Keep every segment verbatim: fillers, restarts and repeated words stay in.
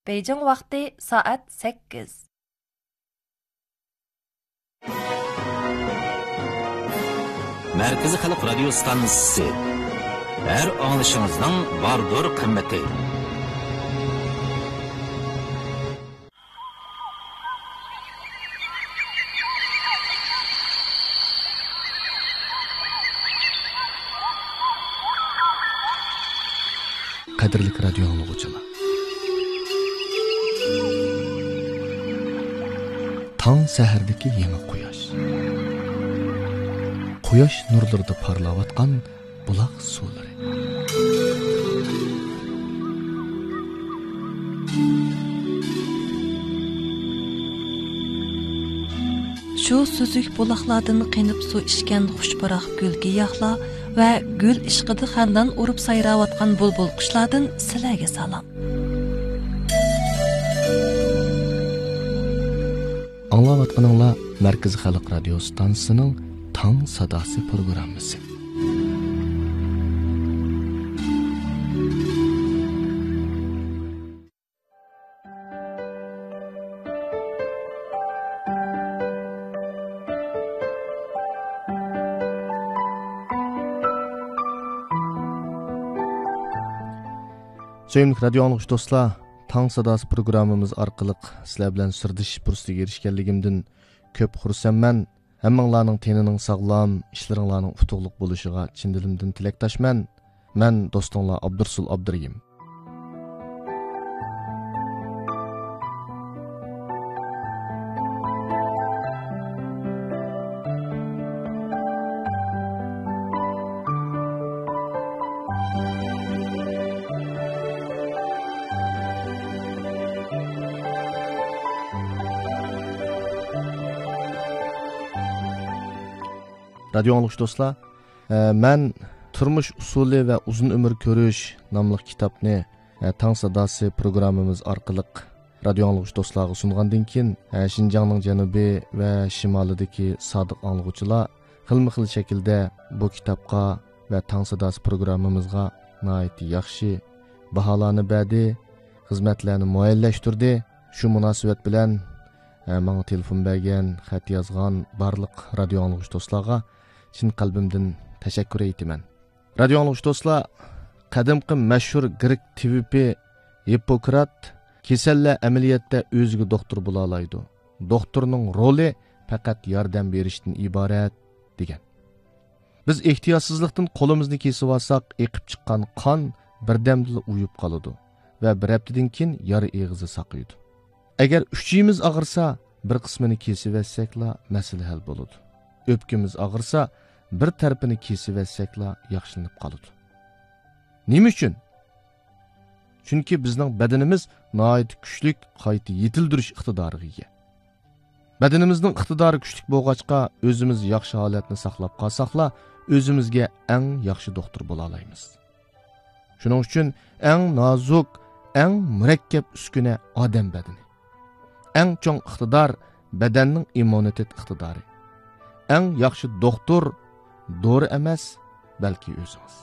بېيجىڭ ۋاقتى سائەت سەككىز. مەركىزىي خەلق رادىيو ستانسىسى. ھەر ئاڭلىشىڭىزنىڭ باردۇر قىممىتى. قەدىرلىك رادىيو ئاڭلىغۇچىلار! تاڭ سەھەردىكى يېڭى قۇياش. قۇياش نۇرلىرىدا پارلاۋاتقان بۇلاق سۇلىرى. شۇ سۈزۈك بۇلاقلاردىن قېنىپ سۇ ئىچكەن خۇشپۇراق گۈل-گىياھلار ۋە گۈل ئىشقىدا خەندان ئۇرۇپ سايراۋاتقان بۇلبۇل قۇشلاردىن سىلەرگە سالام. ئاڭلاۋاتقىنىڭلار مەركىزىي خەلق رادىيو ستانسىسىنىڭ تاڭ ساداسى پروگراممىسى. سۆيۈملۈك رادىيو ئاڭلىغۇچى دوستلار، تاڭ ساداسى پروگراممىمىز ئارقىلىق سىلەر بىلەن سىردىشىش پۇرسىتىگە ئېرىشكەنلىكىمدىن كۆپ خۇرسەنمەن. ھەممىڭلارنىڭ تېنىنىڭ ساغلام، ئىشلىرىڭلارنىڭ ئۇتۇقلۇق بولۇشىغا چىن دىلىمدىن تىلەكداشمەن. مەن دوستۇڭلار ئابدۇرسۇل ئابدۇرېھىم. رادىيو ئاڭلىغۇچى دوستلار، ئە، مەن تۇرمۇش ئۇسۇلى ۋە ئۇزۇن ئۆمۈر كۆرۈش ناملىق كىتابنى، ئە، تاڭ ساداسى پروگراممىمىز ئارقىلىق رادىيو ئاڭلىغۇچى دوستلارغا سۇنغاندىن كېيىن، ئە، شىنجاڭنىڭ جەنۇبى ۋە شىمالىدىكى سادىق ئاڭلىغۇچىلار خىلمۇ خىل شەكىلدە بۇ كىتابقا ۋە تاڭ ساداسى پروگراممىمىزغا ناھايىتى ياخشى باھالارنى بەردى، خىزمەتلەرنى مۇئەييەنلەشتۈردى. شۇ مۇناسىۋەت بىلەن، ئە، ماڭا تېلېفون بەرگەن، خەت يازغان بارلىق رادىيو ئاڭلىغۇچى دوستلارغا چىن قەلبىمدىن تەشەككۈر ئېيتىمەن. رادىيو ئاڭلىغۇچى دوستلار، قەدىمكى مەشھۇر گرېك تېۋىپى ھىپپوكرات، «كېسەللەر ئەمەلىيەتتە ئۆزىگە دوختۇر بولالايدۇ. دوختۇرنىڭ رولى پەقەت ياردەم بېرىشتىن ئىبارەت» دېگەن. بىز ئېھتىياتسىزلىقتىن قولىمىزنى كېسىۋالساق، ئېقىپ چىققان قان بىردەمدىلا ئۇيۇپ قالىدۇ ۋە بىر ھەپتىدىن كېيىن يارا ئېغىزى ساقىيىدۇ. ئەگەر ئۈچىيىمىز ئاغرىسا، بىر قىسمىنى كېسىۋەتسەكلا مەسىلە ھەل بولىدۇ. ئۆپكىمىز ئاغرىسا، بىر تەرىپىنى كېسىۋەتسەكلا ياخشىلىنىپ قالىدۇ. نېمە ئۈچۈن؟ چۈنكى بىزنىڭ بەدىنىمىز ناھايىتى كۈچلۈك قايتا يېتىلدۈرۈش ئىقتىدارىغا ئىگە. بەدىنىمىزنىڭ ئىقتىدارى كۈچلۈك بولغاچقا، ئۆزىمىز ياخشى ھالەتنى ساقلاپ قالساقلا، ئۆزىمىزگە ئەڭ ياخشى دوختۇر بولالايمىز. شۇنىڭ ئۈچۈن ئەڭ نازۇك، ئەڭ مۇرەككەپ ئۈسكۈنە ئادەم بەدىنى. ئەڭ چوڭ ئىقتىدار بەدەننىڭ ئىممۇنىتېت ئىقتىدارى. ئەڭ ياخشى دوختۇر دورا ئەمەس، بەلكى ئۆزىڭىز.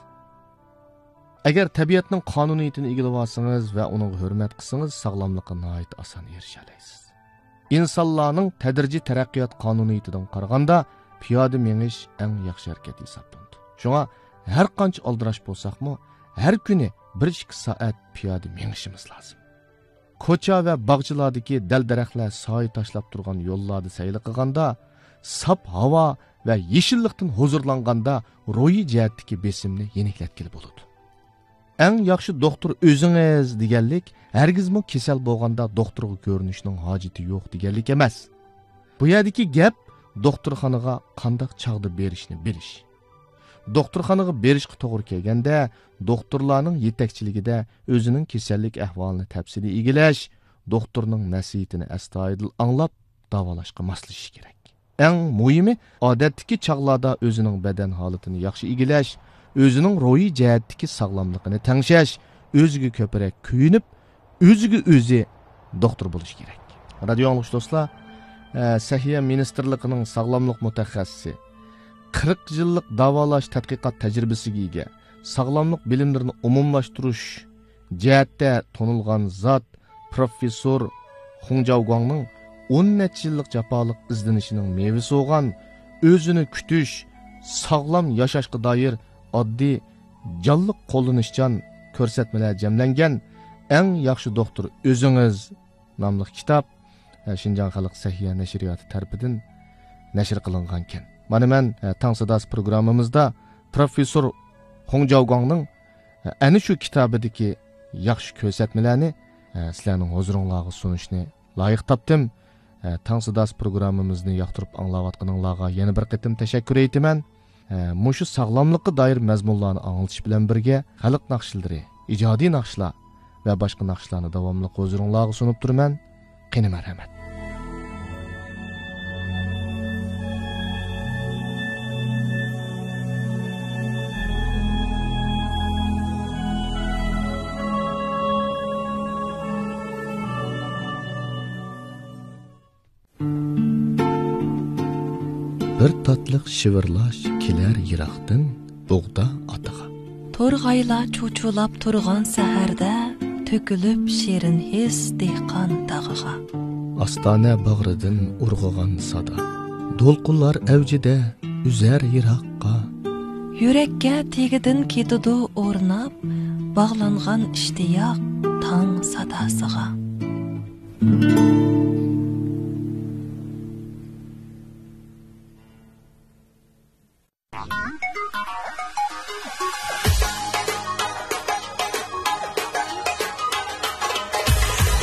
ئەگەر تەبىئەتنىڭ قانۇنىيىتىنى ئىگىلىۋالسىڭىز ۋە ئۇنىڭغا ھۆرمەت قىلسىڭىز، ساغلاملىققا ناھايىتى ئاسان ئېرىشەلەيسىز. ئىنسانلارنىڭ تەدرىجىي تەرەققىيات قانۇنىيىتىدىن قارىغاندا، پىيادە مېڭىش ئەڭ ياخشى ھەرىكەت ھېسابلىنىدۇ. شۇڭا ھەر قانچە ئالدىراش بولساقمۇ، ھەر كۈنى بىر ئىككى سائەت پىيادە مېڭىشىمىز لازىم. كوچا ۋە باغچىلاردىكى دەل-دەرەخلەر سايە تاشلاپ تۇرغان يوللاردا سەيلە قىلغاندا، ساپ ھاۋا ۋە يېشىللىقتىن ھۇزۇرلانغاندا روھىي جەھەتتىكى بېسىمنى يېنىكلەتكىلى بولىدۇ. «ئەڭ ياخشى دوختۇر ئۆزىڭىز» دېگەنلىك ھەرگىزمۇ كېسەل بولغاندا دوختۇرغا كۆرۈنۈشنىڭ ھاجىتى يوق دېگەنلىك ئەمەس. بۇ يەردىكى گەپ دوختۇرخانىغا قانداق چاغدا بېرىشنى بىلىش. دوختۇرخانىغا بېرىشقا توغرا كەلگەندە، دوختۇرلارنىڭ يېتەكچىلىكىدە ئۆزىنىڭ كېسەللىك ئەھۋالىنى تەپسىلىي ئىگىلەش، دوختۇرنىڭ نەسىھىتىنى ئەستايىدىل ئاڭلاپ، داۋالاشقا ماسلىشىش كېرەك. ئەڭ مۇھىمى، ئادەتتىكى چاغلاردا ئۆزىنىڭ بەدەن ھالىتىنى ياخشى ئىگىلەش، ئۆزىنىڭ روھىي جەھەتتىكى ساغلاملىقىنى تەڭشەش، ئۆزىگە كۆپرەك كۆيۈنۈپ، ئۆزىگە ئۆزى دوختۇر بولۇش كېرەك. رادىيو ئاڭلىغۇچى دوستلار، ئە، سەھىيە مىنىستىرلىقىنىڭ ساغلاملىق مۇتەخەسسىسى، قىرىق يىللىق داۋالاش تەتقىقات تەجرىبىسىگە ئىگە، ساغلاملىق بىلىملىرىنى ئومۇملاشتۇرۇش جەھەتتە تونۇلغان زات، پروفېسسور خۇڭ جاۋگۇاڭنىڭ ئون نەچچە يىللىق جاپالىق ئىزدىنىشىنىڭ مېۋىسى بولغان ئۆزىنى كۈتۈش، ساغلام ياشاشقا دائىر ئاددىي، جانلىق، قوللىنىشچان كۆرسەتمىلەر جەملەنگەن ئەڭ ياخشى دوختۇر ئۆزىڭىز ناملىق كىتاب، ئە، شىنجاڭ خەلق سەھىيە نەشرىياتى تەرىپىدىن نەشر قىلىنغانكەن. مانا مەن، ئە، تاڭ ساداسى پروگراممىمىزدا پروفېسسور خۇڭ جاۋگۇاڭنىڭ، ئە، ئەنە شۇ كىتابىدىكى ياخشى كۆرسەتمىلەرنى، ئە، سىلەرنىڭ ھۇزۇرۇڭلارغا سۇنۇشنى لايىق تاپتىم. ئە، تاڭ ساداسى پروگراممىمىزنى ياقتۇرۇپ ئاڭلاۋاتقىنىڭلارغا يەنە بىر قېتىم تەشەككۈر ئېيتىمەن. ئە، مۇشۇ ساغلاملىققا دائىر مەزمۇنلارنى ئاڭلىتىش بىلەن بىرگە، خەلق ناخشىلىرى، ئىجادىي ناخشىلار ۋە باشقا ناخشىلارنى داۋاملىق ھۇزۇرۇڭلارغا سۇنۇپ تۇرىمەن. قېنى، مەرھەمەت. بىر تاتلىق شىۋىرلاش كېلەر يىراقتىن بۇغدا ئاتىغا. تورغايلار چۇچۇلاپ تۇرغان سەھەردە، تۆكۈلۈپ شېرىن ھېس دېھقان تاغىغا. ئاستانە باغرىدىن ئۇرغۇغان سادا، دولقۇنلار ئەۋجىدە ئۈزەر يىراققا. يۈرەككە تېگىدىن كېتىدۇ ئورناپ، باغلانغان ئىشتىياق تاڭ ساداسىغا.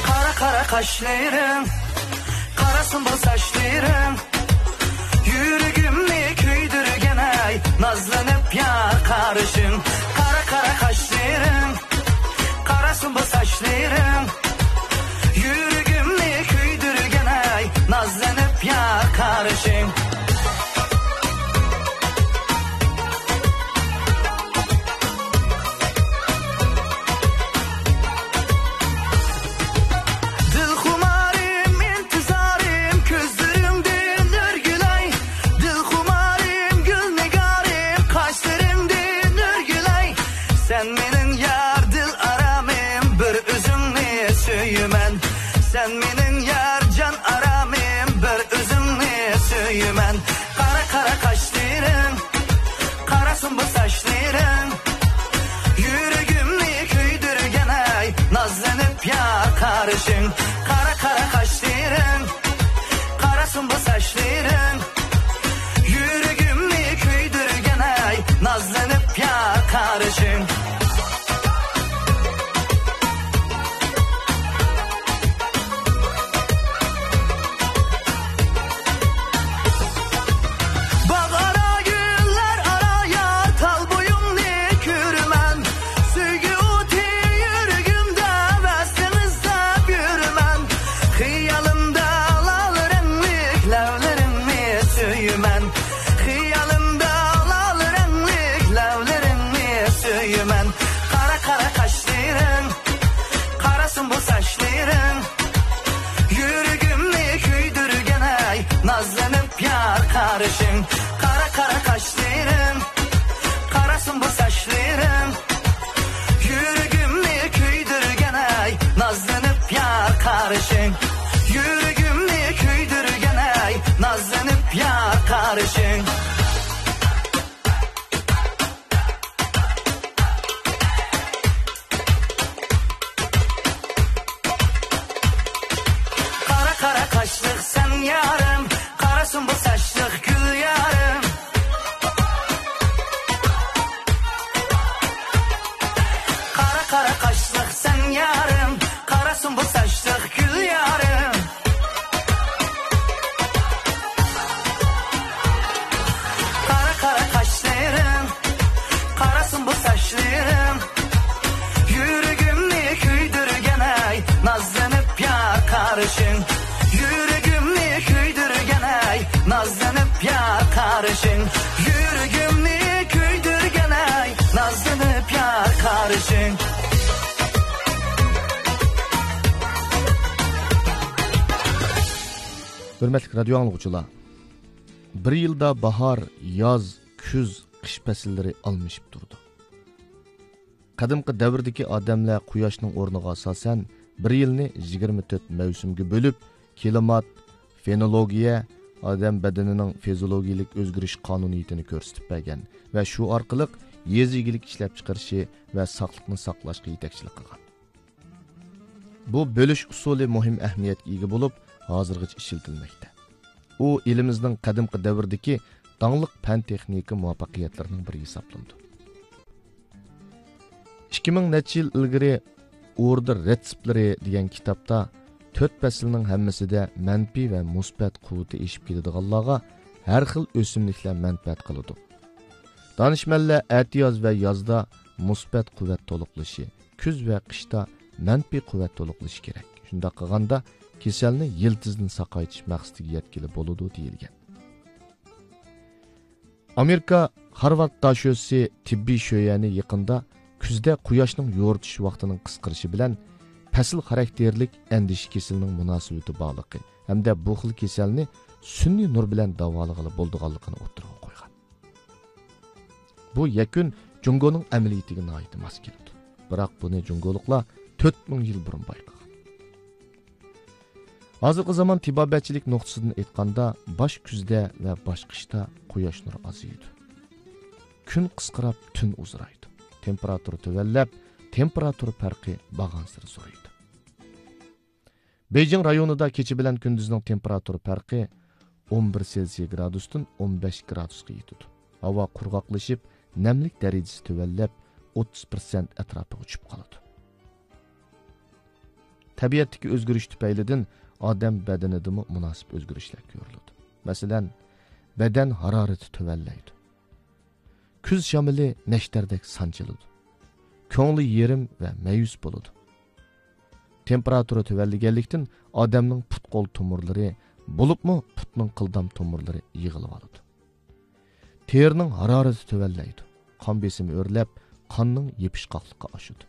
قارا قارا قاشلىرىڭ، قارا سۇمبۇل ساچلىرىڭ، يۈرىكىمنى كۆيدۈرگەن ئەي نازلىنىپ يار قارىشىڭ. قارا قارا قاشلىرىڭ، قارا سۇمبۇل ساچلىرىڭ، يۈرىكىمنى كۆيدۈرگەن ئەي نازلىنىپ يار قارىشىڭ. دىلخۇمارىم، ئىنتىزارىم، كۆزلىرىڭدىن ئۆرگۈلەي. دىلخۇمارىم، گۈلنىگارىم، قاشلىرىڭدىن ئۆرگۈلەي. سەن مېنىڭ يار دىل ئارامىم، بىر ئۆزۈڭنى سۆيىمەن. سەن مېنىڭ يار جان ئارامىم، بىر ئۆزۈڭنى سۆيىمەن. قارا قارا قاشلىرىڭ، قارا سۇمبۇل ساچلىرىڭ، يۈرىكىمنى كۆيدۈرگەن ئەي نازلىنىپ يار قارىشىڭ. قارا قارا قاشلىرىڭ، قارا سۇمبۇل ساچلىرىڭ، يۈرىكىمنى كۆيدۈرگەن ئەي نازلىنىپ يار قارىشىڭ. باغ ئارا، گۈللەر ئارا يار، تال بويۇڭنى كۆرىمەن. سۆيگۈ ئوتى يۈرىكىمدە، ۋەسلىڭ ئىزدەپ يۈرىمەن. خىيالىمدا لال رەڭلىك لەۋلىرىڭنى سۆيىمەن. خىيالىمدا لال رەڭلىك لەۋلىرىڭنى سۆيىمەن. قارا قارا قاشلىرىڭ، قارا سۇمبۇل ساچلىرىڭ، يۈرىكىمنى كۆيدۈرگەن ئەي نازلىنىپ يار قارىشىڭ. قارا قارا قاشلىرىڭ، قارا سۇمبۇل ساچلىرىڭ، يۈرىكىمنى كۆيدۈرگەن ئەي نازلىنىپ يار قارىشىڭ. يۈرىكىمنى كۆيدۈرگەن ئەي نازلىنىپ يار قارىشىڭ. قارا قارا قاشلىق سەن يارىم، قارا سۇمبۇل ساچلىق گۈل يارىم. قارا قارا قاشلىق سەن يارىم، قارا سۇمبۇل ساچلىق گۈل يارىم. قارا قارا قاشلىرىڭ، قارا سۇمبۇل ساچلىرىڭ، يۈرىكىمنى كۆيدۈرگەن ئەي نازلىنىپ يار قارىشىڭ. يۈرىكىمنى كۆيدۈرگەن ئەي نازلىنىپ يار قارىشىڭ. يۈرىكىمنى كۆيدۈرگەن ئەي نازلىنىپ يار قارىشىڭ. ھۆرمەتلىك رادىيو ئاڭلىغۇچىلار، بىر يىلدا باھار، ياز، كۈز، قىش پەسىللىرى ئالمىشىپ تۇرىدۇ. قەدىمكى دەۋردىكى ئادەملەر قۇياشنىڭ ئورنىغا ئاساسەن بىر يىلنى يىگىرمە تۆت مەۋسۇمگە بۆلۈپ، كىلىمات، فېنولوگىيە، ئادەم بەدىنىنىڭ فىزىولوگىيىلىك ئۆزگىرىش قانۇنىيىتىنى كۆرسىتىپ بەرگەن ۋە شۇ ئارقىلىق يېزا ئىگىلىك ئىشلەپچىقىرىشى ۋە ساقلىقنى ساقلاشقا يېتەكچىلىك قىلغان. بۇ بۆلۈش ئۇسۇلى مۇھىم ئەھمىيەتكە ئىگە بولۇپ، ھازىرغىچە ئىشلىتىلمەكتە. ئۇ ئېلىمىزنىڭ قەدىمكى دەۋردىكى داڭلىق پەن-تېخنىكا مۇۋەپپەقىيەتلىرىنىڭ بىرى ھېسابلىنىدۇ. ئىككى مىڭ نەچچە يىل ئىلگىرى ئوردا رېتسېپلىرى دېگەن كىتابتا تۆت پەسىلنىڭ ھەممىسىدە مەنپىي ۋە مۇسبەت قۇۋۋىتى ئېشىپ كېتىدىغانلارغا ھەر خىل ئۆسۈملۈكلەر مەنپەئەت قىلىدۇ. دانىشمەنلەر ئەتىياز ۋە يازدا مۇسبەت قۇۋۋەت تولۇقلىشى، كۈز ۋە قىشتا مەنپىي قۇۋۋەت تولۇقلىشى كېرەك. شۇنداق قىلغاندا، كېسەلنى يىلتىزىدىن ساقايتىش مەقسىتىگە يەتكىلى بولىدۇ، دېيىلگەن. ئامېرىكا خارۋارد داشۆسى تېببىي شۆيەنى يېقىندا كۈزدە قۇياشنىڭ يورۇتۇش ۋاقتىنىڭ قىسقىرىشى بىلەن پەسىل خاراكتېرلىك ئەندىشە كېسىلىنىڭ مۇناسىۋىتى بارلىقى ھەمدە بۇ خىل كېسەلنى سۈنئىي نۇر بىلەن داۋالىغىلى بولىدىغانلىقىنى ئوتتۇرىغا قويغان. بۇ يەكۈن جۇڭگونىڭ ئەمەلىيىتىگە ناھايىتى ماس كېلىدۇ. بىراق بۇنى جۇڭگولۇقلار تۆت مىڭ يىل بۇرۇن بايقىغان. ھازىرقى زامان تېبابەتچىلىك نۇقتىسىدىن ئېيتقاندا، باش كۈزدە ۋە باش قىشتا قۇياش نۇرى ئازىيىدۇ. كۈن قىسقىراپ، تۈن ئۇزىرايدۇ. تېمپېراتۇرا تۆۋەنلەپ، تېمپېراتۇرا پەرقى بارغانسېرى زورايدۇ. بېيجىڭ رايونىدا كېچە بىلەن كۈندۈزنىڭ تېمپېراتۇرا پەرقى ئون بىر سېلسىيە گرادۇستىن ئون بەش گرادۇسقا يېتىدۇ. ھاۋا قۇرغاقلىشىپ، نەملىك دەرىجىسى تۆۋەنلەپ، ئوتتۇز پىرسەنت ئەتراپىغا چۈشۈپ قالىدۇ. تەبىئەتتىكى ئۆزگىرىش تۈپەيلىدىن ئادەم بەدىنىدىمۇ مۇناسىپ ئۆزگىرىشلەر كۆرۈلىدۇ. مەسىلەن، بەدەن ھارارىتى تۆۋەنلەيدۇ. كۈز شامىلى نەشتەردەك سانجىلىدۇ. كۆڭلى يېرىم ۋە مەيۈس بولىدۇ. تېمپېراتۇرا تۆۋەنلىگەنلىكتىن، ئادەمنىڭ پۇت-قول تومۇرلىرى، بولۇپمۇ پۇتنىڭ قىلدام تومۇرلىرى يىغىلىۋالىدۇ. تېرىنىڭ ھارارىتى تۆۋەنلەيدۇ. قان بېسىمى ئۆرلەپ، قاننىڭ يېپىشقاقلىقى ئاشىدۇ.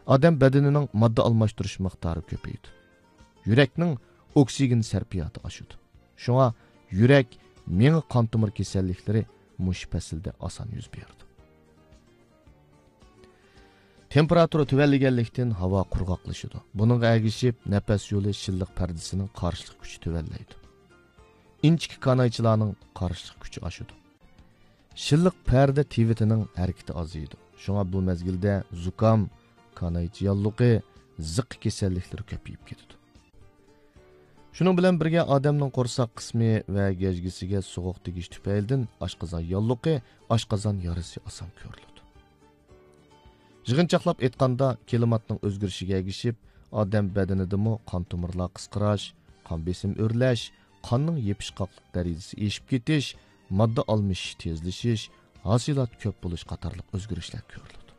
ئادەم بەدىنىنىڭ ماددا ئالماشتۇرۇش مىقدارى كۆپىيىدۇ. يۈرەكنىڭ ئوكسىگېن سەرپىياتى ئاشىدۇ. شۇڭا يۈرەك، مېڭە، قان تومۇر كېسەللىكلىرى مۇشۇ پەسىلدە ئاسان يۈز بېرىدۇ. تېمپېراتۇرا تۆۋەنلىگەنلىكتىن، ھاۋا قۇرغاقلىشىدۇ. بۇنىڭغا ئەگىشىپ، نەپەس يولى شىللىق پەردىسىنىڭ قارشىلىق كۈچى تۆۋەنلەيدۇ. ئىنچىكە كانايچىلارنىڭ قارشىلىق كۈچى ئاشىدۇ. شىللىق پەردە تىۋىتىنىڭ ھەرىكىتى ئازىيىدۇ. شۇڭا بۇ مەزگىلدە زۇكام، كانايچە ياللۇقى، زىققا كېسەللىكلىرى كۆپىيىپ كېتىدۇ. شۇنىڭ بىلەن بىرگە، ئادەمنىڭ قورساق قىسمى ۋە گەجگىسىگە سوغۇق تېگىش تۈپەيلىدىن ئاشقازان ياللۇقى، ئاشقازان يارىسى ئاسان كۆرۈلىدۇ. يىغىنچاقلاپ ئېيتقاندا، كىلىماتنىڭ ئۆزگىرىشىگە ئەگىشىپ، ئادەم بەدىنىدىمۇ قان تومۇرلار قىسقىراش، قان بېسىمى ئۆرلەش، قاننىڭ يېپىشقاقلىق دەرىجىسى ئېشىپ كېتىش، ماددا ئالمىشىش تېزلىشىش، ھاسىلات كۆپ بولۇش قاتارلىق ئۆزگىرىشلەر كۆرۈلىدۇ.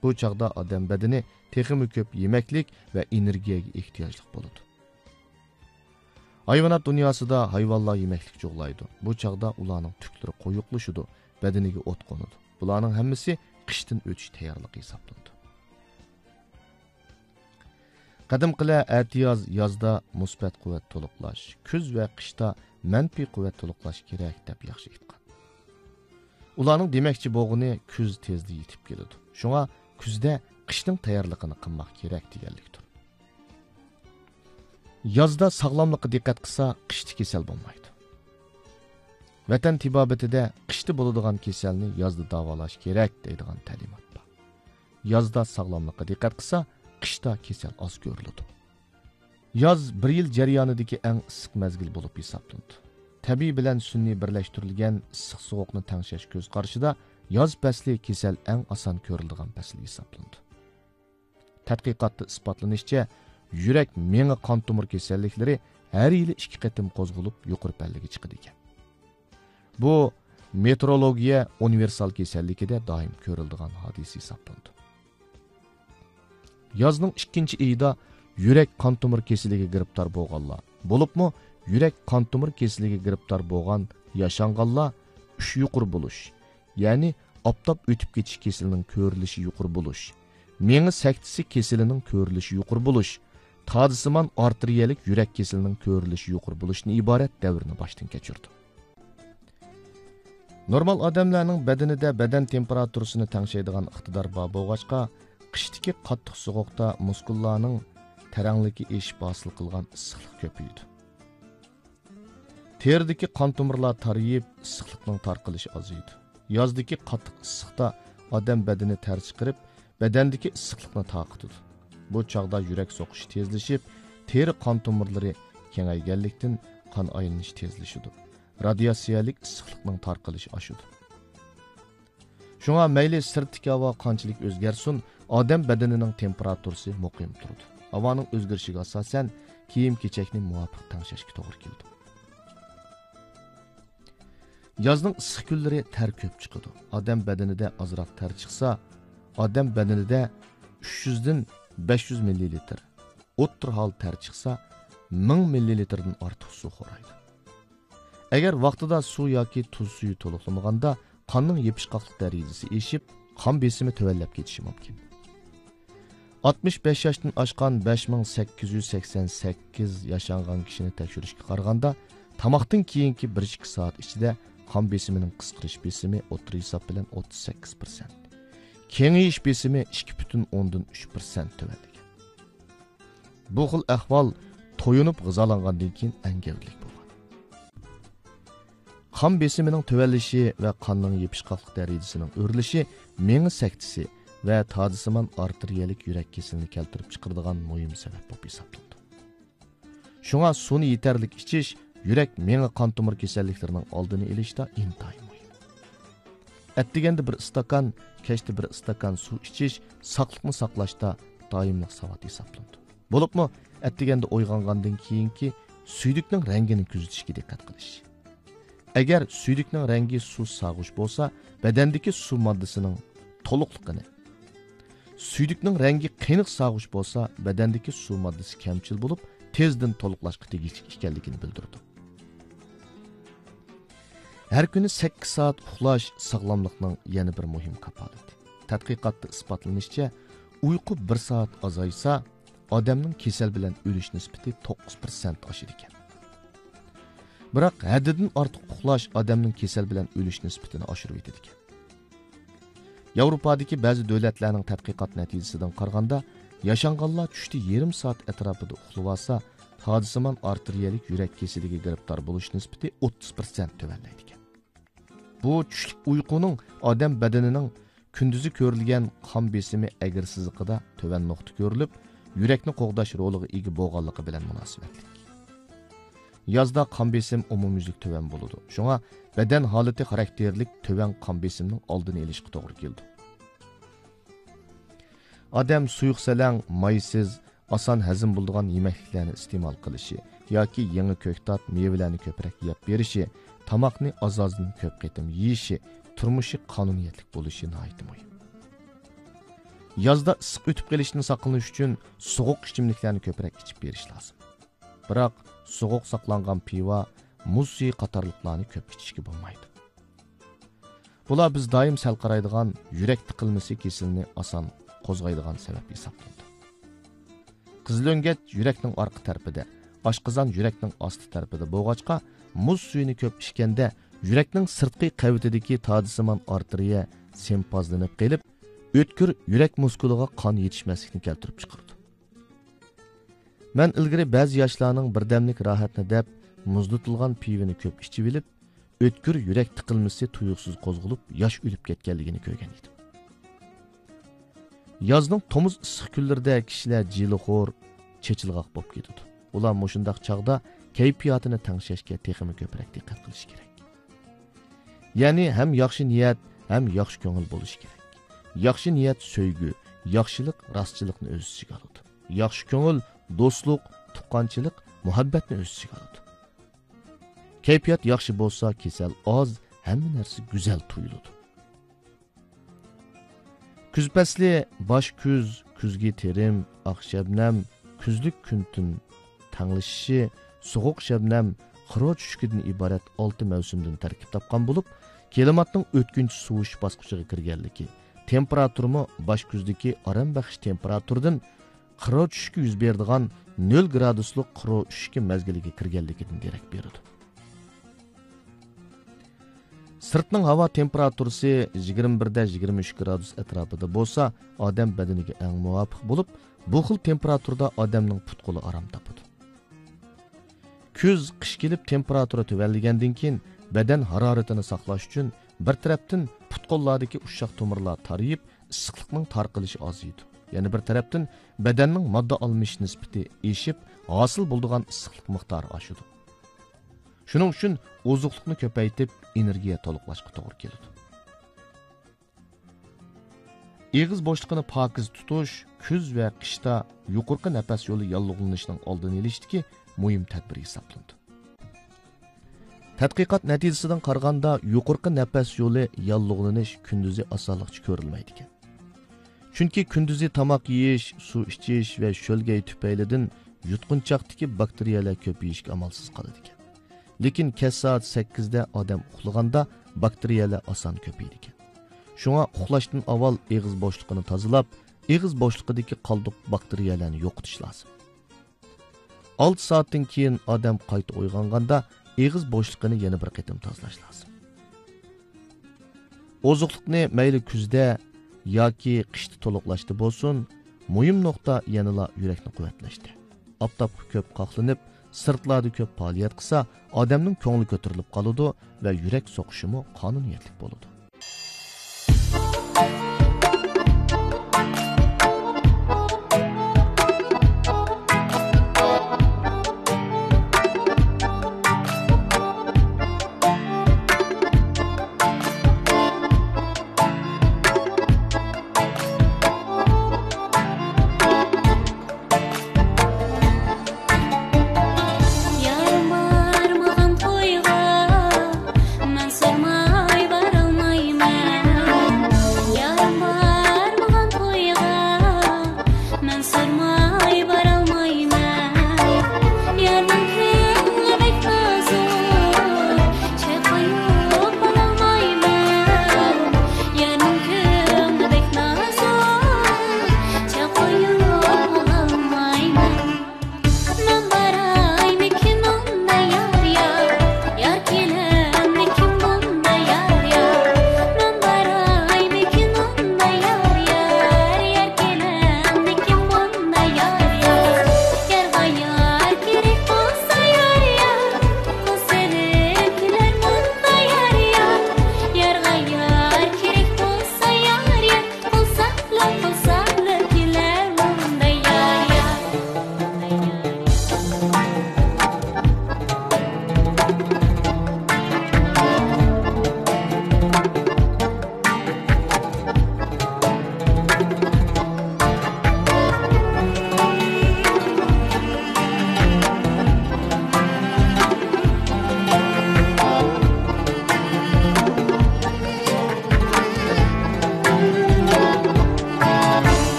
بۇ چاغدا ئادەم بەدىنى تېخىمۇ كۆپ يېمەكلىك ۋە ئېنېرگىيەگە ئېھتىياجلىق بولىدۇ. ھايۋانات دۇنياسىدا ھايۋانلار يېمەكلىك جۇغلايدۇ. بۇ چاغدا ئۇلارنىڭ تۈكلىرى قويۇقلىشىدۇ، بەدىنىگە ئوت قونىدۇ. بۇلارنىڭ ھەممىسى قىشتىن ئۆتۈش تەييارلىقى ھېسابلىنىدۇ. قەدىمكىلەر ئەتىياز، يازدا مۇسبەت قۇۋۋەت تولۇقلاش، كۈز ۋە قىشتا مەنپىي قۇۋۋەت تولۇقلاش كېرەك، دەپ ياخشى ئېيتقان. ئۇلارنىڭ دېمەكچى بولغىنى كۈز تېزلا يېتىپ كېلىدۇ. شۇڭا كۈزدە قىشنىڭ تەييارلىقىنى قىلماق كېرەك دېگەنلىكتۇر. يازدا ساغلاملىققا دىققەت قىلسا، قىشتا كېسەل بولمايدۇ. ۋەتەن تېبابىتىدە قىشتا بولىدىغان كېسەلنى يازدا داۋالاش كېرەك دەيدىغان تەلىمات بار. يازدا ساغلاملىققا دىققەت قىلسا، قىشتا كېسەل ئاز كۆرۈلىدۇ. ياز بىر يىل جەريانىدىكى ئەڭ ئىسسىق مەزگىل بولۇپ ھېسابلىنىدۇ. تەبىئىي بىلەن سۈنئىي بىرلەشتۈرۈلگەن ئىسسىق-سوغۇقنى تەڭشەش كۆز قارىشىدا ياز پەسلى كېسەل ئەڭ ئاسان كۆرۈلىدىغان پەسىل ھېسابلىنىدۇ. تەتقىقاتتا ئىسپاتلىنىشىچە، يۈرەك، مېڭە، قان تومۇر كېسەللىكلىرى ھەر يىلى ئىككى قېتىم قوزغىلىپ، يۇقىرى پەللىگە چىقىدىكەن. بۇ مېتېئورولوگىيە ئۇنىۋېرسال كېسەللىكىدە دائىم كۆرۈلىدىغان ھادىسە ھېسابلىنىدۇ. يازنىڭ ئىككىنچى ئېيىدا يۈرەك قان تومۇر كېسىلىگە گىرىپتار بولغانلار، بولۇپمۇ يۈرەك قان تومۇر كېسىلىگە گىرىپتار بولغان ياشانغانلار ئۈچ يۇقىرى بولۇش، يەنى ئاپتاپ ئۆتۈپ كېتىش كېسىلىنىڭ كۆرۈلۈشى يۇقىرى بولۇش، مېڭە سەكتىسى كېسىلىنىڭ كۆرۈلۈشى يۇقىرى بولۇش، تادىسىمان ئارتېرىيەلىك يۈرەك كېسىلىنىڭ كۆرۈلۈشى يۇقىرى بولۇشتىن ئىبارەت دەۋرنى باشتىن كەچۈرىدۇ. نورمال ئادەملەرنىڭ بەدىنىدە بەدەن تېمپېراتۇرىسىنى تەڭشەيدىغان ئىقتىدار بار بولغاچقا، قىشتىكى قاتتىق سوغۇقتا مۇسكۇللارنىڭ تەرەڭلىكى ئېشىپ ھاسىل قىلغان ئىسسىقلىق كۆپىيىدۇ. تېرىدىكى قان تومۇرلار تارىيىپ، ئىسسىقلىقنىڭ تارقىلىشى ئازىيىدۇ. يازدىكى قاتتىق ئىسسىقتا ئادەم بەدىنى تەر چىقىرىپ، بەدەندىكى ئىسسىقلىقنى تارقىتىدۇ. بۇ چاغدا يۈرەك سوقۇشى تېزلىشىپ، تېرە قان تومۇرلىرى كېڭەيگەنلىكتىن، قان ئايلىنىشى تېزلىشىدۇ. رادىياتسىيەلىك ئىسسىقلىقنىڭ تارقىلىشى ئاشىدۇ. شۇڭا مەيلى سىرتتىكى ھاۋا قانچىلىك ئۆزگەرسۇن، ئادەم بەدىنىنىڭ تېمپېراتۇرىسى مۇقىم تۇرىدۇ. ھاۋانىڭ ئۆزگىرىشىگە ئاساسەن، كىيىم-كېچەكنى مۇۋاپىق تەڭشەشكە توغرا كېلىدۇ. يازنىڭ ئىسسىق كۈنلىرى تەر كۆپ چىقىدۇ. ئادەم بەدىنىدە ئازراق تەر چىقسا، ئادەم بەدىنىدە ئۈچ يۈزدىن بەش يۈز مىللىلىتىر، ئوتتۇرا ھال تەر چىقسا، مىڭ مىللىلىتىردىن ئارتۇق سۇ خورايدۇ. ئەگەر ۋاقتىدا سۇ ياكى تۇز سۈيى تولۇقلىمىغاندا، قاننىڭ يېپىشقاقلىق دەرىجىسى ئېشىپ، قان بېسىمى تۆۋەنلەپ كېتىشى مۇمكىن. ئاتمىش بەش ياشتىن ئاشقان بەش مىڭ سەككىز يۈز سەكسەن سەككىز ياشانغان كىشىنى تەكشۈرۈشكە قارىغاندا، تاماقتىن كېيىنكى بىر ئىككى سائەت ئىچىدە قان بېسىمىنىڭ قىسقىرىش بېسىمى ئوتتۇرا ھېساب بىلەن ئوتتۇز سەككىز پىرسەنت، كېڭىيىش بېسىمى ئىككى پۈتۈن ئوندىن ئۈچ پىرسەنت تۆۋەنلىگەن. بۇ خىل ئەھۋال تويۇنۇپ غىزالانغاندىن كېيىن ئەڭ گەۋدىلىك بولغان. قان بېسىمىنىڭ تۆۋەنلىشى ۋە قاننىڭ يېپىشقاقلىق دەرىجىسىنىڭ ئۆرلىشى مېڭە سەكتىسى ۋە تادىسىمان ئارتېرىيەلىك يۈرەك كېسىلىنى كەلتۈرۈپ چىقىرىدىغان مۇھىم سەۋەب بولۇپ ھېسابلىنىدۇ. شۇڭا سۇنى يېتەرلىك ئىچىش يۈرەك مېڭە قان تومۇر كېسەللىكلىرىنىڭ ئالدىنى ئېلىشتا ئىنتايىن مۇھىم. ئەتىگەندە بىر ئىستاكان، كەچتە بىر ئىستاكان سۇ ئىچىش ساقلىقنى ساقلاشتا دائىملىق ساۋات ھېسابلىنىدۇ. بولۇپمۇ ئەتىگەندە ئويغانغاندىن كېيىنكى سۈيدۈكنىڭ رەڭگىنى كۆزىتىشكە دىققەت قىلىش. ئەگەر سۈيدۈكنىڭ رەڭگى سۇس سارغۇچ بولسا، بەدەندىكى سۇ ماددىسىنىڭ تولۇقلۇقىنى، سۈيدۈكنىڭ رەڭگى قېنىق سارغۇچ بولسا، بەدەندىكى سۇ ماددىسى كەمچىل بولۇپ، تېزدىن تولۇقلاشقا تېگىشلىك ئىكەنلىكىنى بىلدۈرىدۇ. ھەر كۈنى سەككىز سائەت ئۇخلاش ساغلاملىقنىڭ يەنە بىر مۇھىم كاپالىتى. تەتقىقاتتا ئىسپاتلىنىشىچە، ئۇيقۇ بىر سائەت ئازايسا، ئادەمنىڭ كېسەل بىلەن ئۆلۈش نىسبىتى توققۇز پىرسەنت ئاشىدىكەن. بىراق، ھەددىدىن ئارتۇق ئۇخلاش ئادەمنىڭ كېسەل بىلەن ئۆلۈش نىسبىتىنى ئاشۇرۇۋېتىدىكەن. ياۋروپادىكى بەزى دۆلەتلەرنىڭ تەتقىقات نەتىجىسىدىن قارىغاندا، ياشانغانلار چۈشتە يېرىم سائەت ئەتراپىدا ئۇخلىۋالسا، تادىسىمان ئارتېرىيەلىك يۈرەك كېسىلىگە گىرىپتار بولۇش نىسبىتى ئوتتۇز پىرسەنت تۆۋەنلەيدىكەن. بۇ چۈشلۈك ئۇيقۇنىڭ ئادەم بەدىنىنىڭ كۈندۈزى كۆرۈلگەن قان بېسىمى ئەگرى سىزىقىدا تۆۋەن نۇقتا كۆرۈلۈپ، يۈرەكنى قوغداش رولىغا ئىگە بولغانلىقى بىلەن مۇناسىۋەتلىك. يازدا قان بېسىم ئومۇميۈزلۈك تۆۋەن بولىدۇ. شۇڭا بەدەن ھالىتى خاراكتېرلىك تۆۋەن قان بېسىمنىڭ ئالدىنى ئېلىشقا توغرا كېلىدۇ. ئادەم سۇيۇقسەلەڭ، مايسىز، ئاسان ھەزىم بولىدىغان يېمەكلىكلەرنى ئىستېمال قىلىشى ياكى يېڭى كۆكتات، مېۋىلەرنى كۆپرەك يەپ بېرىشى، تاماقنى ئاز-ئازدىن كۆپ قېتىم يېيىشى، تۇرمۇشى قانۇنىيەتلىك بولۇشى ناھايىتى مۇھىم. يازدا ئىسسىق ئۆتۈپ قېلىشتىن ساقلىنىش ئۈچۈن سوغۇق ئىچىملىكلەرنى كۆپرەك ئىچىپ بېرىش لازىم. بىراق، سوغۇق ساقلانغان پىۋا، مۇز سۈيى قاتارلىقلارنى كۆپ ئىچىشكە بولمايدۇ. بۇلار بىز دائىم سەل قارايدىغان يۈرەك تىقىلمىسى كېسىلىنى ئاسان قوزغايدىغان سەۋەب ھېسابلىنىدۇ. قىزىلۆڭگەچ يۈرەكنىڭ ئارقا تەرىپىدە، ئاشقازان يۈرەكنىڭ ئاستى تەرىپىدە بولغاچقا، مۇز سۈيىنى كۆپ ئىچكەندە، يۈرەكنىڭ سىرتقى قەۋىتىدىكى تادىسىمان ئارتېرىيە سېمپازلىنىپ قېلىپ، ئۆتكۈر يۈرەك مۇسكۇلىغا قان يېتىشمەسلىكنى كەلتۈرۈپ چىقىرىدۇ. مەن ئىلگىرى بەزى ياشلارنىڭ بىردەملىك راھەتنى دەپ، مۇزلىتىلغان پىۋىنى كۆپ ئىچىۋېلىپ، ئۆتكۈر يۈرەك تىقىلمىسى تۇيۇقسىز قوزغىلىپ، ياش ئۆلۈپ كەتكەنلىكىنى كۆرگەن ئىدىم. يازنىڭ تومۇز ئىسسىق كۈنلىرىدە كىشىلەر جىلىخور، چېچىلغاق بولۇپ كېتىدۇ. ئۇلار مۇشۇنداق چاغدا كەيپىياتىنى تەڭشەشكە تېخىمۇ كۆپرەك دىققەت قىلىشى كېرەك. يەنى ھەم ياخشى نىيەت، ھەم ياخشى كۆڭۈل بولۇشى كېرەك. ياخشى نىيەت سۆيگۈ، ياخشىلىق راستچىللىقنى ئۆز ئىچىگە ئالىدۇ. ياخشى كۆڭۈل دوستلۇق، تۇغقانچىلىق، مۇھەببەتنى ئۆز ئىچىگە ئالىدۇ. كەيپىيات ياخشى بولسا، كېسەل ئاز، ھەممە نەرسە گۈزەل تۇيۇلىدۇ. كۈز پەسلى، باش كۈز، كۈزگى تېرىم، ئاق شەبنەم، كۈزلۈك كۈن تۈن تەڭلىشىشى، سوغۇق شەبنەم، خىرو چۈشۈكىدىن ئىبارەت ئالتە مەۋسۇمدىن تەركىب تاپقان بولۇپ، كىلىماتنىڭ ئۆتكۈنچى سوۋۇش باسقۇچىغا كىرگەنلىكى، تېمپېراتۇرىمۇ باش كۈزدىكى ئارام بەخش تېمپېراتۇردىن خىرو چۈشۈكى يۈز بېرىدىغان نۆل گرادۇسلۇق خىرو ئۈشۈكى مەزگىلىگە كىرگەنلىكىدىن دېرەك بېرىدۇ. سىرتنىڭ ھاۋا تېمپېراتۇرىسى يىگىرمە بىردە يىگىرمە ئۈچ گرادۇس ئەتراپىدا بولسا، ئادەم بەدىنىگە ئەڭ مۇۋاپىق بولۇپ، بۇ خىل تېمپېراتۇرىدا ئادەمنىڭ پۇت-قولى ئارام تاپىدۇ. كۈز، قىش كېلىپ تېمپېراتۇرا تۆۋەنلىگەندىن كېيىن، بەدەن ھارارىتىنى ساقلاش ئۈچۈن بىر تەرەپتىن پۇت-قوللاردىكى ئۇششاق تومۇرلار تارىيىپ، ئىسسىقلىقنىڭ تارقىلىشى ئازىيىدۇ. يەنە بىر تەرەپتىن بەدەننىڭ ماددا ئالمىشىش نىسبىتى ئېشىپ، ھاسىل بولىدىغان ئىسسىقلىق مىقدارى ئاشىدۇ. شۇنىڭ ئۈچۈن ئوزۇقلۇقنى كۆپەيتىپ، ئېنېرگىيە تولۇقلاشقا توغرا كېلىدۇ. ئېغىز بوشلۇقىنى پاكىز تۇتۇش كۈز ۋە قىشتا يۇقىرىقى نەپەس يولى ياللۇغلىنىشىنىڭ ئالدىنى ئېلىشتىكى مۇھىم تەدبىر ھېسابلىنىدۇ. تەتقىقات نەتىجىسىدىن قارىغاندا، يۇقىرىقى نەپەس يولى ياللۇغلىنىش كۈندۈزى ئاسانلىقچە كۆرۈلمەيدىكەن. چۈنكى كۈندۈزى تاماق يېيىش، سۇ ئىچىش ۋە شۆلگەي تۈپەيلىدىن يۇتقۇنچاقتىكى باكتېرىيەلەر كۆپىيىشكە ئامالسىز قالىدىكەن. لېكىن كەچ سائەت سەككىزدە ئادەم ئۇخلىغاندا باكتېرىيەلەر ئاسان كۆپىيىدىكەن. شۇڭا ئۇخلاشتىن ئاۋۋال ئېغىز بوشلۇقىنى تازىلاپ، ئېغىز بوشلۇقىدىكى قالدۇق باكتېرىيەلەرنى يوقىتىش لازىم. ئالتە سائەتتىن كېيىن ئادەم قايتا ئويغانغاندا ئېغىز بوشلۇقىنى يەنە بىر قېتىم تازىلاش لازىم. ئوزۇقلۇقنى مەيلى كۈزدە ياكى قىشتا تولۇقلاشتا بولسۇن، مۇھىم نۇقتا يەنىلا يۈرەكنى قۇۋۋەتلەشتە. ئاپتاپقا كۆپ قاقلىنىپ، سىرتلاردا كۆپ پائالىيەت قىلسا، ئادەمنىڭ كۆڭلى كۆتۈرۈلۈپ قالىدۇ ۋە يۈرەك سوقۇشىمۇ قانۇنىيەتلىك بولىدۇ. يارىم بارمىغان تويغا مەن سورىماي بارالمايمەن.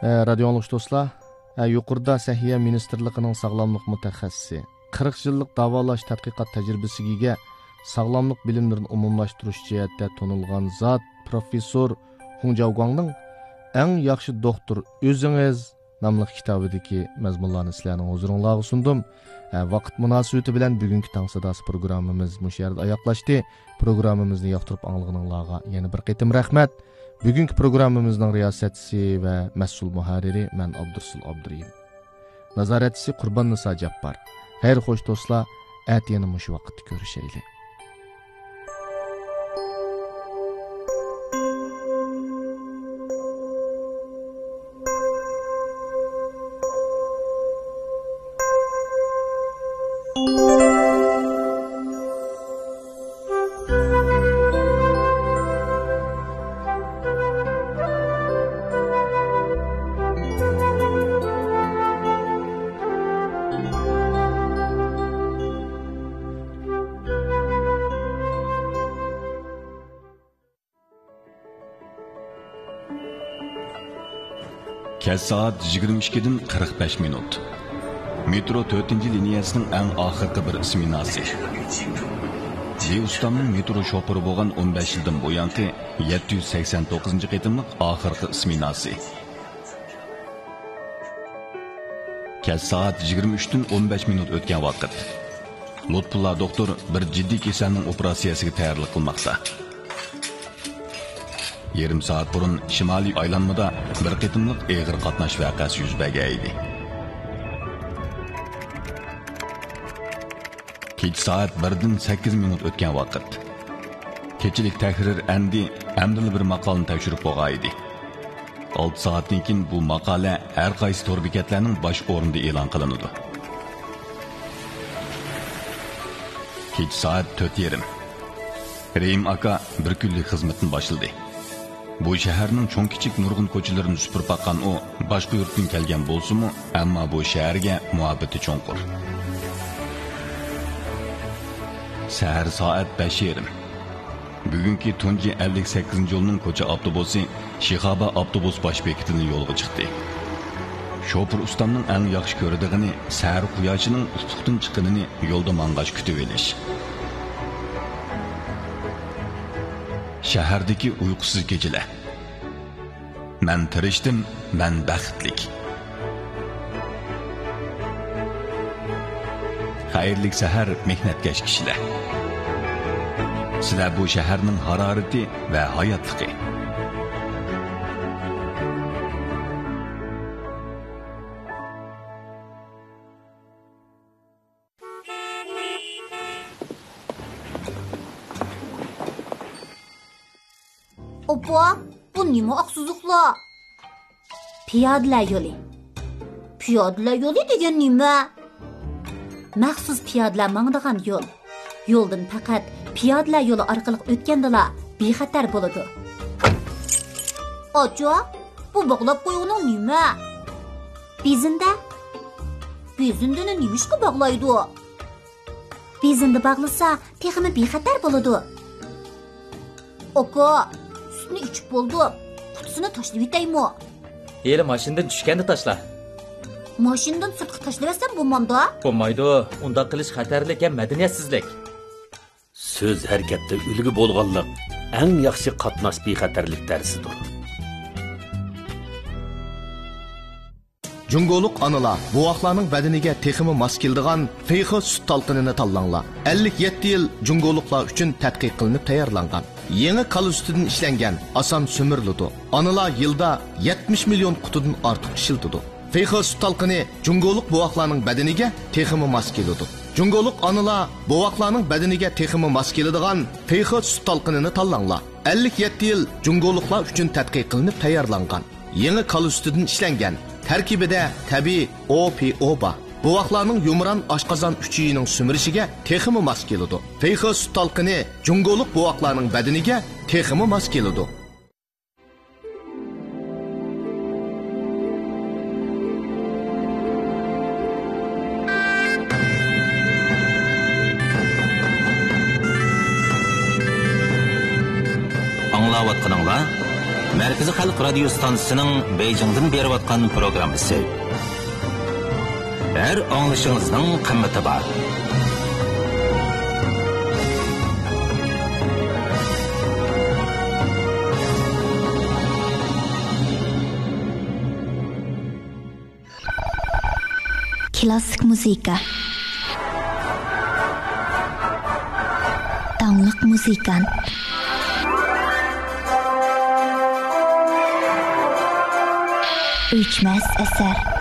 ئە، رادىيو ئاڭلىغۇچى دوستلار، ئە، يۇقىرىدا سەھىيە مىنىستىرلىقىنىڭ ساغلاملىق مۇتەخەسسىسى، قىرىق يىللىق داۋالاش تەتقىقات تەجرىبىسىگە ئىگە، ساغلاملىق بىلىملىرىنى ئومۇملاشتۇرۇش جەھەتتە تونۇلغان زات، پروفېسسور خۇڭ جاۋگۇاڭنىڭ ئەڭ ياخشى دوختۇر ئۆزىڭىز ناملىق كىتابىدىكى مەزمۇنلارنى سىلەرنىڭ ھۇزۇرۇڭلارغا سۇندۇم. ئە، ۋاقىت مۇناسىۋىتى بىلەن بۈگۈنكى تاڭ ساداسى پروگراممىمىز مۇشۇ يەردە ئاياغلاشتى. پروگراممىمىزنى ياقتۇرۇپ ئاڭلىغىنىڭلارغا يەنە بىر قېتىم رەھمەت. بۈگۈنكى پروگراممىمىزنىڭ رىياسەتچىسى ۋە مەسئۇل مۇھەررىرى مەن ئابدۇرسۇل ئابدۇرېھىم. نازارەتچىسى قۇرباننىسا جاپپار. خەير خوش دوستلار، ئەتە يەنە مۇشۇ ۋاقىتتا كۆرۈشەيلى. كەچ سائەت يىگىرمە ئىككىدىن قىرىق بەش مىنۇت. مېترو تۆتىنچى لىنىيەسىنىڭ ئەڭ ئاخىرقى بىر سمېناسى. لى ئۇستامنىڭ مېترو شوپۇرى بولغان ئون بەش يىلدىن بۇيانقى يەتتە يۈز سەكسەن توققۇزىنچى قېتىملىق ئاخىرقى سمېناسى. كەچ سائەت يىگىرمە ئۈچتىن ئون بەش مىنۇت ئۆتكەن ۋاقىت. لۇتپۇللا دوختۇر بىر جىددىي كېسەلنىڭ ئوپېراتسىيەسىگە تەييارلىق قىلماقتا. يېرىم سائەت بۇرۇن شىمالىي ئايلانمىدا بىر قېتىملىق ئېغىر قاتناش ۋەقەسى يۈز بەرگەن ئىدى. كېچە سائەت بىردىن سەككىز مىنۇت ئۆتكەن ۋاقىت. كېچىلىك تەھرىر ئەمدى ئەمدىلا بىر ماقالىنى تەكشۈرۈپ بولغان ئىدى. ئالتە سائەتتىن كېيىن بۇ ماقالە ھەر قايسى تور بېكەتلەرنىڭ باش ئورنىدا ئېلان قىلىنىدۇ. كېچە سائەت تۆت يېرىم. رېھىم ئاكا بىر كۈنلۈك خىزمىتىنى باشلىدى. بۇ شەھەرنىڭ چوڭ-كىچىك نۇرغۇن كوچىلىرىنى سۈپۈرۈپ باققان ئۇ، باشقا يۇرتتىن كەلگەن بولسىمۇ، ئەمما بۇ شەھەرگە مۇھەببىتى چوڭقۇر. سەھەر سائەت بەش يېرىم. بۈگۈنكى تۇنجى ئەللىك سەككىزىنچى يولنىڭ كوچا ئاپتوبۇسى شىخابا ئاپتوبۇس باش بېكىتىدىن يولغا چىقتى. شوپۇر ئۇستامنىڭ ئەڭ ياخشى كۆرىدىغىنى سەھەر قۇياشىنىڭ ئۇپۇقتىن چىققىنىنى يولدا ماڭغاچ كۈتۈۋېلىش. شەھەردىكى ئۇيقۇسىز كېچىلەر. مەن تىرىشتىم، مەن بەختلىك. خەيرلىك سەھەر، مېھنەتكەش كىشىلەر. سىلەر بۇ شەھەرنىڭ ھارارىتى ۋە ھاياتلىقى. ئاپا، بۇ نېمە ئاق سىزىقلار؟ پىيادىلەر يولى. پىيادىلەر يولى دېگەن نېمە؟ مەخسۇس پىيادىلەر ماڭىدىغان يول. يولدىن پەقەت پىيادىلەر يولى ئارقىلىق ئۆتكەندىلا بىخەتەر بولىدۇ. ئاچا، بۇ باغلاپ قويغىنىڭ نېمە؟ بېزىندە. بېزىندىنى نېمىشقا باغلايدۇ؟ بېزىندە باغلىسا، تېخىمۇ بىخەتەر بولىدۇ. ئاكا، سۈتنى ئىچىپ بولدۇم. قۇتىسىنى تاشلىۋېتەيمۇ؟ ھېلى ماشىنىدىن چۈشكەندە تاشلا. ماشىنىدىن سىرتقا تاشلىۋەتسەم بولمامدا؟ بولمايدۇ. ئۇنداق قىلىش خەتەرلىك ھەم مەدەنىيەتسىزلىك. سۆز ھەرىكەتتە ئۈلگە بولغانلىق ئەڭ ياخشى قاتناش بىخەتەرلىك دەرسىدۇر. جۇڭگولۇق ئانىلار، بوۋاقلارنىڭ بەدىنىگە تېخىمۇ ماس كېلىدىغان فېيخې سۈت تالقىنىنى تاللاڭلار. ئەللىك يەتتە يىل جۇڭگولۇقلار ئۈچۈن تەتقىق قىلىنىپ تەييارلانغان. يېڭى كالا سۈتىدىن ئىشلەنگەن، ئاسان سۈمۈرۈلىدۇ. ئانىلار يىلدا يەتمىش مىليون قۇتىدىن ئارتۇق ئىشلىتىدۇ. فېيخې سۈت تالقىنى جۇڭگولۇق بوۋاقلارنىڭ بەدىنىگە تېخىمۇ ماس كېلىدۇ. جۇڭگولۇق ئانىلار، بوۋاقلارنىڭ بەدىنىگە تېخىمۇ ماس كېلىدىغان فېيخې سۈت تالقىنىنى تاللاڭلار. ئەللىك يەتتە يىل جۇڭگولۇقلار ئۈچۈن تەتقىق قىلىنىپ تەييارلانغان. يېڭى كالا سۈتىدىن ئىشلەنگەن، تەركىبىدە تەبىئىي ئو پى ئو بار. بوۋاقلارنىڭ يۇمران ئاشقازان ئۈچىيىنىڭ سۈمۈرۈشىگە تېخىمۇ ماس كېلىدۇ. فېيخې سۈت تالقىنى جۇڭگولۇق بوۋاقلارنىڭ بەدىنىگە تېخىمۇ ماس كېلىدۇ. ئاڭلاۋاتقىنىڭلار مەركىزىي خەلق رادىيو ستانسىسىنىڭ بېيجىڭدىن بېرىۋاتقان پروگراممىسى. ھەر ئاڭلىشىڭىزنىڭ قىممىتى بار. كلاسسىك مۇزىكا. داڭلىق مۇزىكانت. ئۆچمەس ئەسەر.